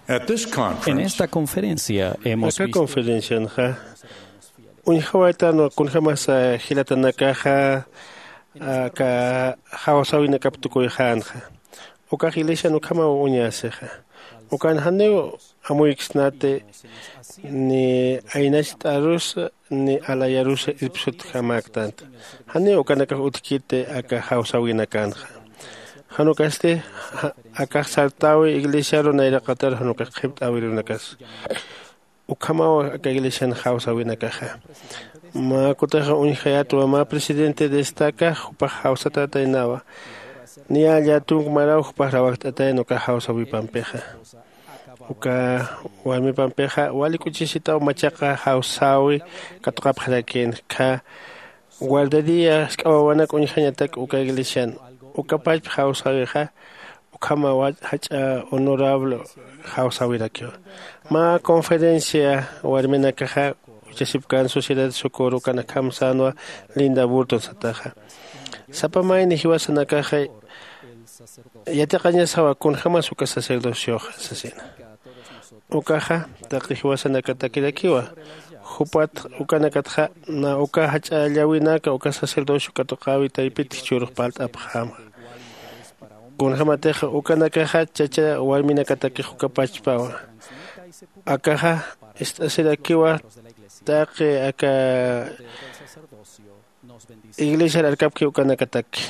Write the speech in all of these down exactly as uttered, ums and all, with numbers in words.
En esta conferencia hemos visto conferencianxa uñjawaytanwa kunjämasa jilatanakaxa aka jawsäwinakap tukuyxänxa. Ukax iglesian ukhamaw uñasixa. Ukan janiw amuyksnati ni aynacht'arusa ni alayarusa irpsutjamäktanta. Janiw ukanakax utjkiti aka jawsäwinakanxa. Jan ukasti akax sartäwi iglesiaru nayraqatar jan ukax qhipt'äwirunakasa. Ukhamaw aka iglesian jawsäwinakaxa. Mä kutaxa uñjayätwa mä presidente destaca jupax jawsatätaynawa. Niya llatunk maraw jupax rawajt'atayna uka jawsäwipampixa. Uka warmipampixa wali k'uchisitaw machaqa jawsäwi katuqapxarakïn. Kha guardería sk'awawanak uñjañatak uka iglesian. Ukapachpa jawsäwixa ukhama jach'a honorable jawsäwirakiwa. Mä conferencia warminakaxa uchasipkän sociedad socorro ukan akham sänwa linda burton sataxa. Sapa mayni jiwasanakaxa yatiqañasawa kunjämas uka sacerdocioxa sasina. Ukaxa taqi jiwasanakatakirakiwa. Jupat ukanakatxa na uka jach'a llawinaka uka sacerdocio katuqäwi taypit jichhürux parlt'apxäma. Kunjämatix ukanakaxa chacha warminakatakix ukapachpawa. Akaxa ist'asirakiwa taqi aka iglesiar arkapki ukanakataki.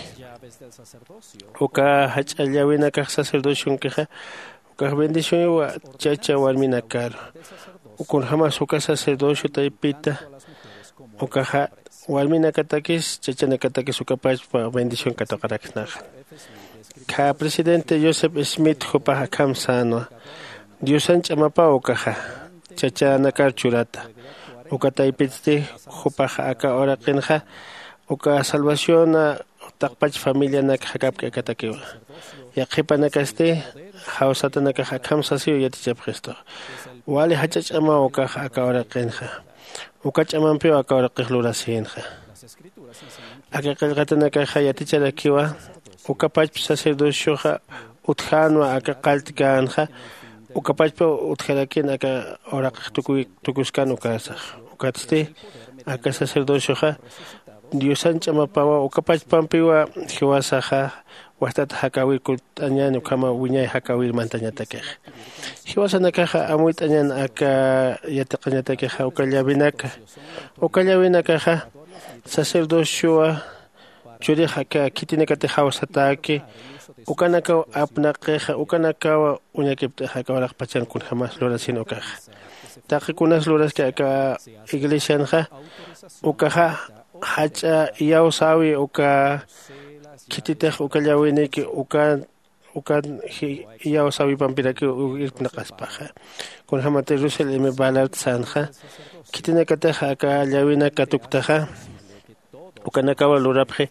Uka jach'a llawinakax sacerdocionkixa ukax bendicionwa chacha warminakaru. Kunjämas uka sacerdocio taypita ukaxa warminakatakis chachanakatakis ukapachpa bendición katuqaraksnaxa. Kha presidente joseph smith jupax akham sänwa. Diosan ch'amapaw ukaxa chachanakar churata. Uka taypitsti jupax aka uraqinxa uka salvaciona taqpach familianak jakapk'akatakiwa. Yaqhipanakasti jawsatanakax akham sasiw yatichapxistu. Wali jach'a ch'amaw ukax aka uraqinxa. Uka ch'amampiw aka uraqix lurasïnxa. Aka qillqatanakaxa yaticharakiwa. Ukapachpa sacerdocioxa utjänwa aka qalltkänxa. Ukapachpa utjarakïn aka uraqix tukuy tukuskan ukasax. Ukatsti aka sacerdocioxa diosan ch'amapawa ukapachpampiwa jiwasaxa wajtat jakäwir kutt'añän ukhama wiñay jakäwir mantañatakixa. Jiwasanakaxa amuyt'añän aka yatiqañatakixa uka llawinaka. Uka llawinakaxa sacerdociowa churix aka khitinakatix jawsatäki ukanakaw apnaqixa ukanakawa uñakipt'ixa aka uraqpachan kunjämas lurasin ukaxa. Taqi kunas luraski aka iglesianxa ukaxa jach'a iyawsäwi uka khititix uka llawiniki ukan ukan iyawsäwipampirakiw irpnaqaspaxa. Kunjämati russell m ballard sänxa khitinakatix aka llawinaka tuktaxa ukanakawa lurapxi.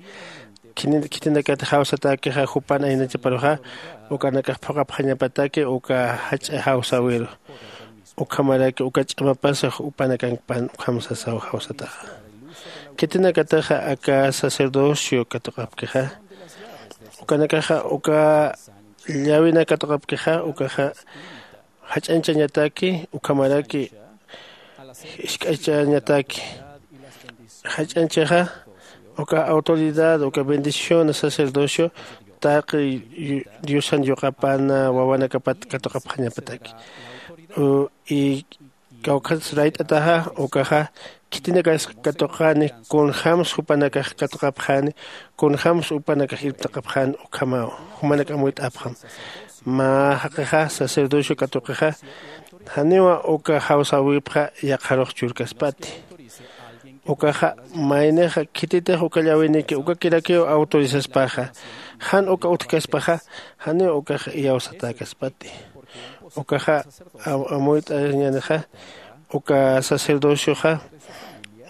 Khitinakatix jawsatäkixa jupan aynachaparuxa ukanakax phuqhapxañapataki uka jach'a jawsäwiru. Ukhamaraki uka ch'amapasax jupanakankpan ukham sasaw jawsataxa. Khitinakataxa aka sacerdocio katuqapkixa ukanakaxa uka llawina katuqapkixa ukaxa jach'anchañataki ukhamaraki jisk'achañataki. Jach'anchixa uka autoridad uka bendición sacerdocio taqi diosan yuqapana wawanakapat katuqapxañapataki. Y kawkhats rayt'ataxa ukaxa khitinakas katuqani kunjämsa jupanakax katuqapxani kunjämsa jupanakax irptaqapxani ukhamaw jumanak amuyt'apxam. Mä jaqixa sacerdocio katuqixa janiwa uka jawsäwipxa yaqharux churkaspati. Ukaxa maynixa khititix uka llawiniki ukakirakiw autorizaspaxa jan uka utjkaspaxa janiw ukax iyawsatäkaspati. Ukaxa amuyt'añänixa uka sacerdocioxa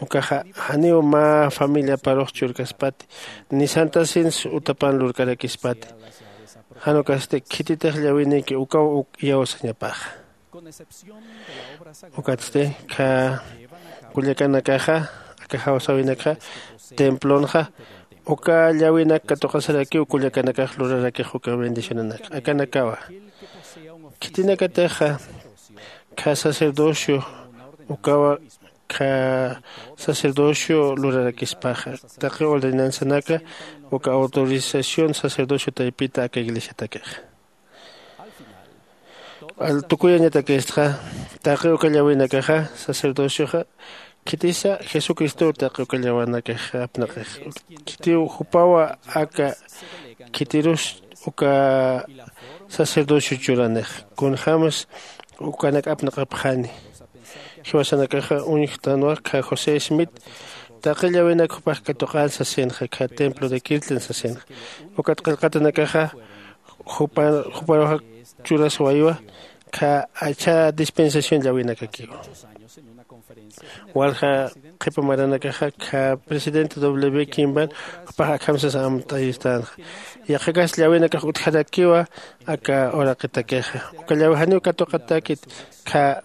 ukaxa janiw mä familiaparux churkaspati ni santasins utapan lurkarakispati. Jan ukasti khititix llawiniki ukaw uk iyawsañapaxa. Ukatsti kha kullakanakaxa aka jawsäwinakxa templonxa uka llawinak katuqasarakiw kullakanakax lurarakix uka bendicionanak akanakawa. Khitinakatixa kha sacerdocio ukawa kha sacerdocio lurarakispaxa taqi ordenanzanaka uka autorización sacerdocio taypita aka iglesiatakixa. Tukuyañatakistxa taqi uka llawinakaxa sacerdocioxa khitisa jesucristow taqi uka llawanakaxa apnaqix. Khitiw jupawa aka khitirus uka sacerdocio churanix kunjämas ukanak apnaqapxani. Jiwasanakaxa uñjtanwa kha josé smith taqi llawinak jupax katuqän sasinxa kha templo de kirtland sasinxa. Ukat qillqatanakaxa juparuxa churaswaywa kha achha dispensación llawinakakiwa. Walja qhipa maranakaxa kha presidente w kimban jupax akham sasa amt'ayistänxa. Yaqhakas llawinakax utjarakiwa aka uraqitakixa uka llawi janiw katuqatäkit kha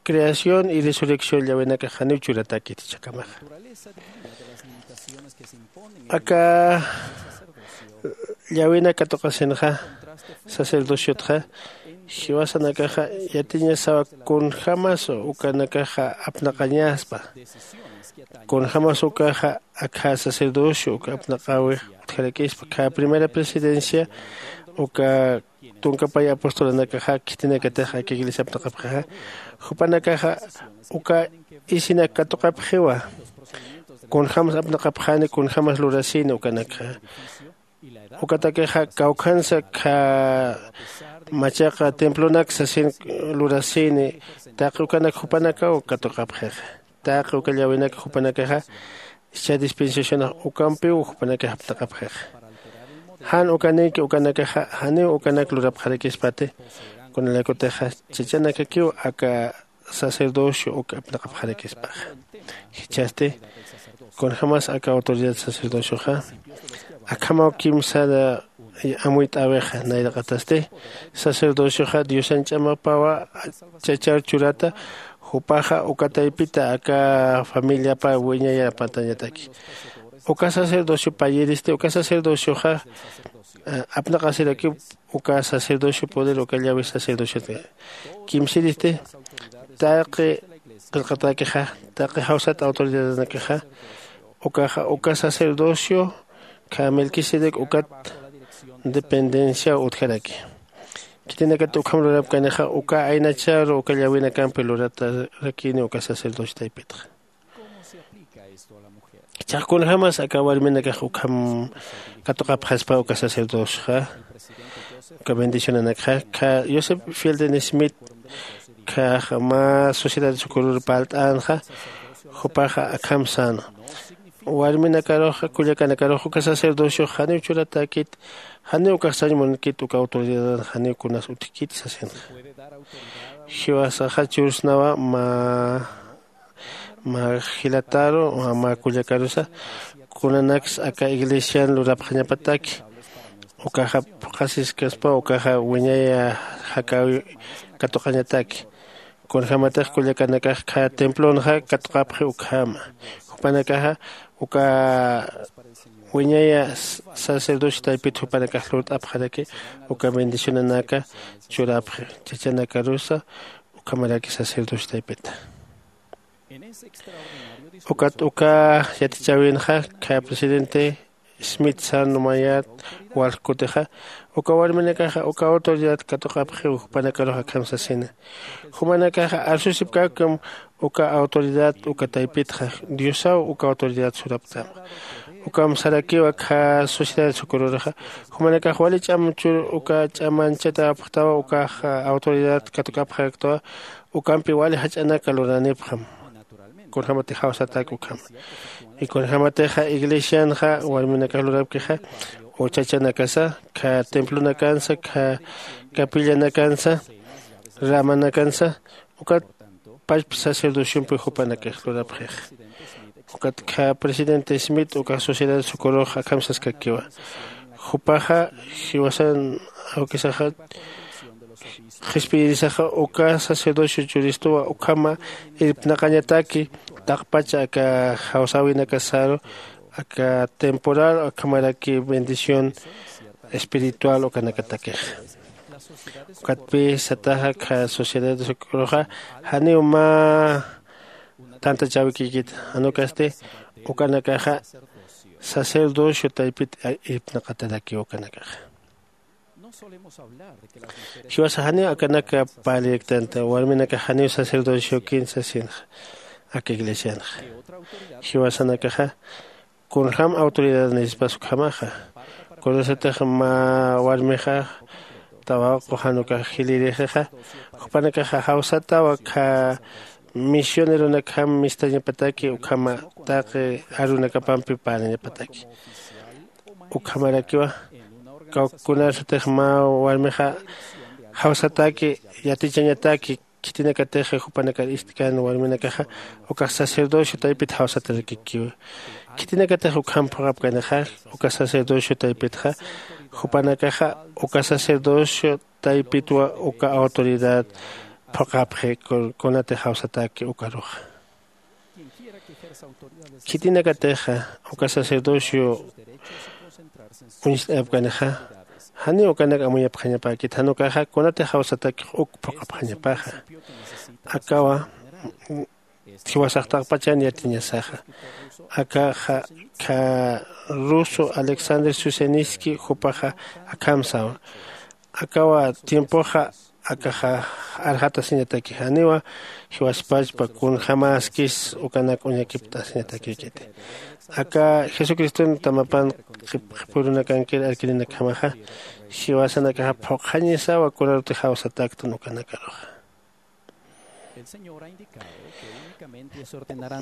creación y resurrección llawinakax janiw churatäkit jichhakamaxa. Aka llawina katuqasinxa sacerdociotxa jiwasanakaxa yatiñasawa kunjämas ukanakaxa apnaqañaspa. Kunjämas ukaxa akha sacerdocio uka apnaqäwix utjarakispa kha primera presidencia uka tunkapay apostolanakaxa khitinakatix aka iglesia apnaqapxixa jupanakaxa uka isinak katuqapxiwa. Kunjämas apnaqapxani kunjämas lurasini ukanakxa ukatakixa kawkhansa kha machaqa templonak sasin lurasini taqi ukanak jupanakaw katuqapxixa. Taqi uka llawinaka jupanakaxa ischha dispensacionax ukampiw jupanakax apnaqapxixa. Jan ukanïki ukanakaxa janiw ukanak lurapxarakispati. Kunalaykutixa chachanakakiw aka sacerdocio uk apnaqapxarakispaxa. Jichhasti kunjämas aka autoridad sacerdocioxa akhamaw kimsar amuyt'äwixa nayraqatasti sacerdocioxa diosan ch'amapawa chachar churata. Jupaxa uka taypita aka familiapa wiñayar apatañataki. Uka sacerdocio payiristi uka sacerdocioxa apnaqasirakiw uka sacerdocio poder uka llawi sacerdociot kimsiristi taqi qillqatakixa taqi jawsat autoridadanakixa ukaxa uka sacerdocio kha melquisedec ukat dependenciaw utjaraki. Khitinakat ukham lurapkanixa uka aynacharu uka llawinakampi luratarakini uka sacerdocio taypitxa. Jichhax kunjämas aka warminakax ukham katuqapxaspa uka sacerdocioxa uka bendicionanakxa kha joseph fielden smith khax mä sociedad sukurur parlt'änxa. Jupaxa akham säna warminakaruxa kullakanakaruxa uka sacerdociox janiw churatäkit janiw ukax sañ munkit uka autoridadan janiw kunas utjkit sasinxa. Jiwasaxa chursnawa mä mä jilataru mä kullakarusa kunanaksa aka iglesian lurapxañapataki ukaxa phuqhasiskaspa ukaxa wiñaya jakäwi katuqañataki. Kunjämatix kullakanakax kha templonxa katuqapxi ukhama jupanakaxa uka wiñaya sacerdocio taypit jupanakax lurt'apxaraki uka bendicionanaka churapxi chachanakarusa ukhamaraki sacerdocio taypita. Ukat uka yatichäwinxa kha presidente smith sän numayät walj kutixa uka warminakaxa uka autoridad katuqapxiw jupanakarux akham sasina. Jumanakaxa arsusipkäkam uka autoridad uka taypitxa diosaw uka autoridad suraptama. Ukam sarakiw akha sociedad sukururxa jumanakax wali ch'am chur uka ch'amanchatäpxtawa ukax autoridad katukapxaraktawa. Ukampi wali jach'anaka luranipxam kunjämatix jawsatäk ukhama. Y kunjämatixa iglesianxa warminakax lurapkixa uchachanakasa kha templonakansa kha capillanakansa ramanakansa ukat pachpa sacerdociompi jupanakax lurapxixa. Ukat kha presidente smith ukax sociedad socorrox akham saskakiwa jupaxa jiwasan awkisaxa qhispiyirisaxa uka sacerdocio churistuwa ukhama irpnaqañataki taqpacha aka jawsäwinakasaru aka temporal ukhamaraki bendición espiritual ukanakatakixa. Ukatpï sataxa kha sociedades uk'uruxa janiw mä tantachäwikïkit, jan ukasti ukanakaxa sacerdocio taypit irpnaqatarakiw ukanakaxa. Jiwasa janiw akanak parlirktanta warminakax janiw sacerdociokin sasinxa aka iglesianxa. Jiwasanakaxa kunjäm autoridadnispas ukhamaxa. Kunasatix mä warmixa tawaqu jan ukax jilïrixixa, jupanakaxa jawsataw akha misioneronakjam mistañapataki ukhama taqi arunakapampi parlñapataki. Ukhamarakiwa kawkkunasatix mä warmixa jawsataki yatichañataki khitinakatix jupanakar ist'kan warminakaxa ukax sacerdocio taypit jawsatarakikiwa. Khitinakatix ukham phuqhapkanixa uka sacerdocio taypitxa jupanakaxa uka sacerdocio taypitwa uka autoridad phuqhapxi kunatix jawsataki ukaruxa. Khitinakatixa uka sacerdocio uñst'ayapkanixa janiw ukanak amuyapxañapäkit jan ukaxa kunatix jawsatakix uk phuqhapxañapaxa. Akawa jiwasax taqpachan yatiñasaxa. Akaxa kha ruso alexander suseniski jupaxa akham sawa. Akawa tiempoxa akaxa arxatasiñataki janiwa jiwaspachpa kunjämäskis ukanak uñakipt'asiñatakïkiti. Aka jesucriston tamapan qhipürunakankir arkirinakjamaxa jiwasanakaxa phuqhañisawa kunarutix jawsatäktan ukanakaruxa.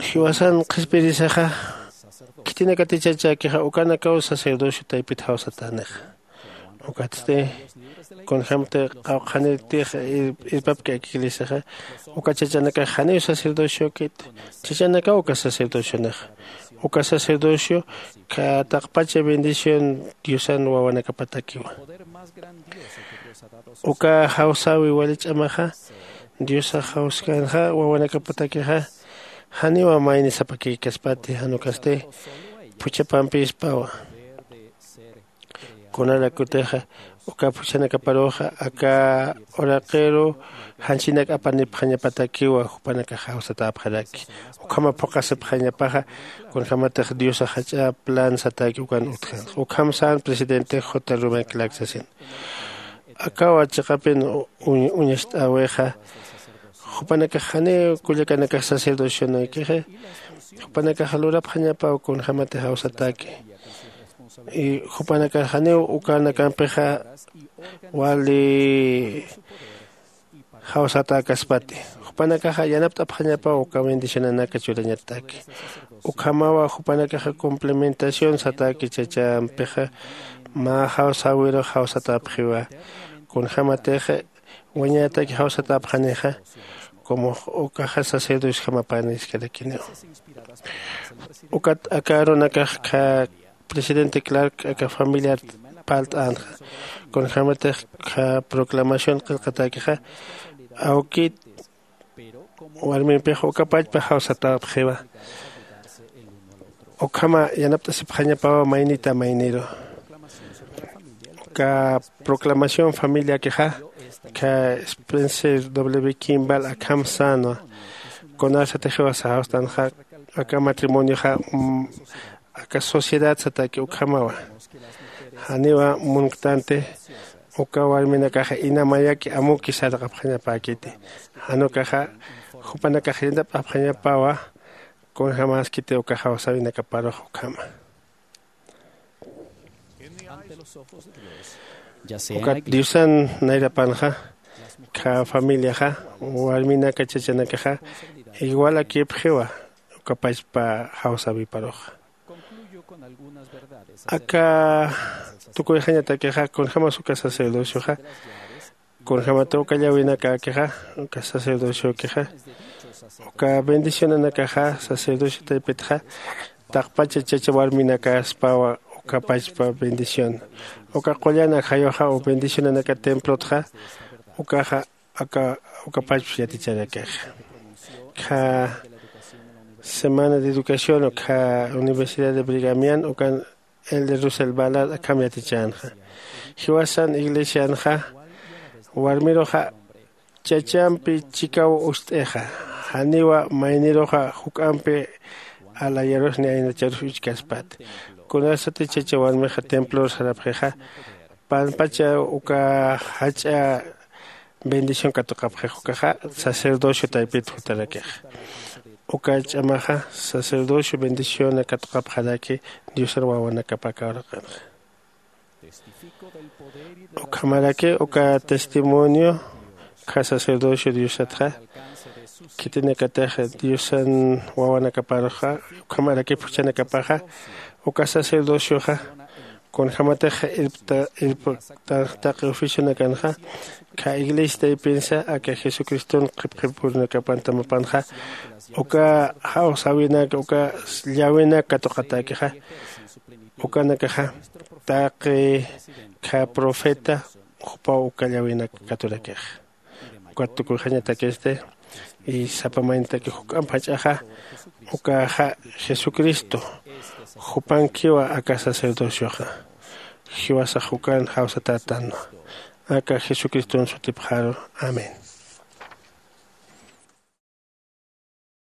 Jiwasan qhispirisaxa khitinakatichachäkixa ukanakaw sacerdocio taypit jawsatänixa. Ukatsti kunjämti qawqhanirtix irpapki aka iglesiaxa uka chachanakax janiw sacerdociokit. Chachanakaw uka sacerdocionixa uka sacerdocio kha taqpacha bendición diosan wawanakapatakiwa. Uka jawsäwi wali ch'amaxa diosax jawskänxa wawanakapatakixa janiwa mayni sapakïkaspati jan ukasti phuchhapampïspawa. Kunarakutixa uka phuchhanakaparuxa aka uraqiru janchinak apanipxañapatakiwa jupanakax jawsatäpxaraki. Ukhama phuqhasipxañapaxa kunjämatix diosax jach'a plan satäki ukan utjkänxa ukham sän presidente j ruben clark sasin. Akawa chiqapin uñacht'äwixa jupanakax janiw kullakanakax sacerdocionaykixi jupanakax lurapxañapaw kunjämatix jawsatäki. Y jupanakax janiw ukanakampixa wali jawsatäkaspati. Jupanakaxa yanapt'apxañapaw uka bendicionanaka churañataki. Ukhamawa jupanakaxa complementación satäki chachampixa mä jawsäwirux jawsatäpxiwa. Kunjämatix wañätaki jawsatäpxanixa como ukaxa sacerdociojamapäniskarakiniw. Ukat aka arunakax kha presidente clark aka familiar parlt'änxa. Kunjämatix kha proclamación qillqatäkixa awkit warmimpix uka pachpa jawsatäpxiwa. Ukhama yanapt'asipxañapawa maynita mayniru. Uka proclamación familiakixa kha spencer w kimball akham sänwa. Kunasatix jiwasa jawstänxa aka matrimonioxa aka sociedad satäki ukhamawa. Janiwa munktanti uka warminakaxa ina mayaki amuki saraqapxañapäkiti. Jan ukaxa jupanakax yanapt'apxañapawa kunjämäskiti uka jawsäwinakaparux ukhama. Ukat diosan nayrapanxa kha familiaxa warminaka chachanakaxa igualakipxiwa uka pachpa jawsäwiparuxa. Aka tukuyxañatakixa kunjämas uka sacerdocioxa kunjämata uka llawinakäkixa uka sacerdociokixa uka bendicionanakaxa sacerdocio taypitxa taqpacha chacha warminakaspawa uka pachpa bendición. Uka qullan ajayuxa u bendicionanaka templotxa ukaxa aka uka pachpa yaticharakixa. Kha semana de educación ukha universidad de brigamian ukan el de rusel balad akham yatichänxa. Jiwasan iglesianxa Warmiruxa chachampi chikaw ust'ixa, janiwa mayniruxa juk'ampi alayarusni aynacharus uchkaspati. Kunasati chacha warmixa templor sarapxixa, panpacha uka jach'a bendición katuqapxix ukaxa, sacerdocio taypit jutarakixa. Uka ch'amaxa sacerdocio bendiciona katuqapxaraki, diosar wawanakapaka uraqanxa. Ukhamaraki uka testimonio kha sacerdocio diosatxa, khitinakatix diosan wawanakaparuxa, ukhamaraki phuchhanakapaxa uka sacerdocioxa, kunjämatix irpta irpta taqi oficionakanxa, kha iglesia taypinsa aka jesucriston qhipqhipurunakapan tamapanxa, uka jawsäwinak uka llawinak katuqatäkixa, ukanakaxa taqi kha profeta jupaw uka llawinak katurakixa. Ukat tukuyxañatakisti, y sapa maynitaki juk'amp jach'axa ukaxa jesucristo jupankiwa aka sacerdocioxa. Jiwasax jukan jawsatätanwa aka jesucriston sutipxaru. Amén.